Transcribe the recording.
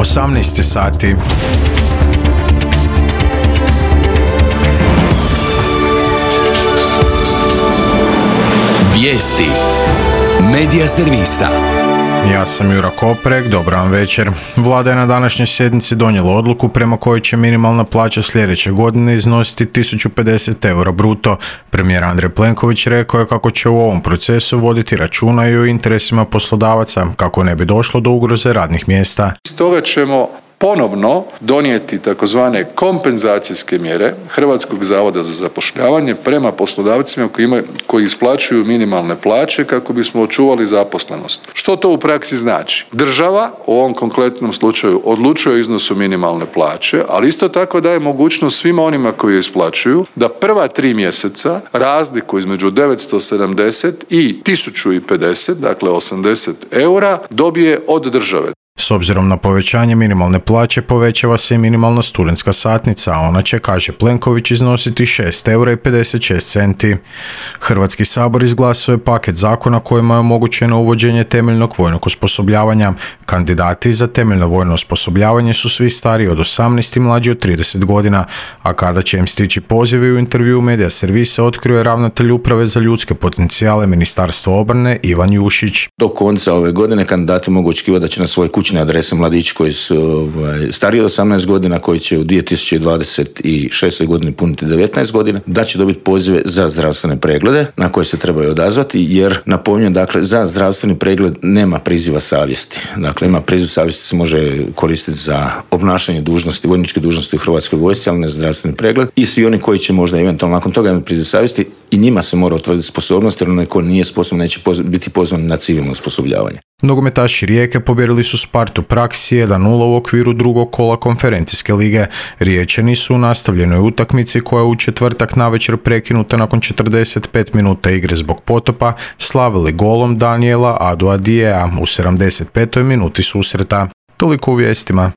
18 sati. Vijesti Medija servisa. Ja sam Jura Koprek, dobar vam večer. Vlada je na današnjoj sjednici donijela odluku prema kojoj će minimalna plaća sljedeće godine iznositi 1050 eura bruto. Premijer Andrej Plenković rekao je kako će u ovom procesu voditi računa i o interesima poslodavaca, kako ne bi došlo do ugroze radnih mjesta. Stoga ćemo ponovno donijeti takozvane kompenzacijske mjere Hrvatskog zavoda za zapošljavanje prema poslodavcima koji isplaćuju minimalne plaće kako bismo očuvali zaposlenost. Što to u praksi znači? Država u ovom konkretnom slučaju odlučuje o iznosu minimalne plaće, ali isto tako daje mogućnost svima onima koji je isplaćuju da prva 3 mjeseca razliku između 970 i 1050, dakle 80 eura, dobije od države. S obzirom na povećanje minimalne plaće povećava se i minimalna studentska satnica, a ona će, kaže Plenković, iznositi 6,56 eura. Hrvatski sabor izglasao je paket zakona kojima je omogućeno uvođenje temeljnog vojnog osposobljavanja. Kandidati za temeljno vojno osposobljavanje su svi stariji od 18 i mlađi od 30 godina, a kada će im stići pozivi, u intervjuu Medija servisa otkrio je ravnatelj Uprave za ljudske potencijale Ministarstva obrane Ivan Jušić. Do konca ove godine kandidati mogu očekivati da će na svoj kućne adrese mladići koji su stariji od 18 godina, koji će u 2026. godini puniti 19 godina, da će dobiti pozive za zdravstvene preglede na koje se trebaju odazvati, jer napominjem, dakle, za zdravstveni pregled nema priziva savjesti. Dakle, ima priziv savjesti, se može koristiti za obnašanje dužnosti, vojničke dužnosti u Hrvatskoj vojsci, ali ne zdravstveni pregled. I svi oni koji će možda eventualno nakon toga imati priziv savjesti, i njima se mora utvrditi sposobnost, jer onaj ko nije sposoban neće biti pozvan na civilno osposobljavanje. Nogometaši Rijeke pobijedili su Spartu Praksi 1-0 u okviru drugog kola konferencijske lige. Riječani su u nastavljenoj utakmici, koja je u četvrtak navečer prekinuta nakon 45 minuta igre zbog potopa, slavili golom Daniela Aduadijea u 75. minuti susreta. Toliko u vijestima.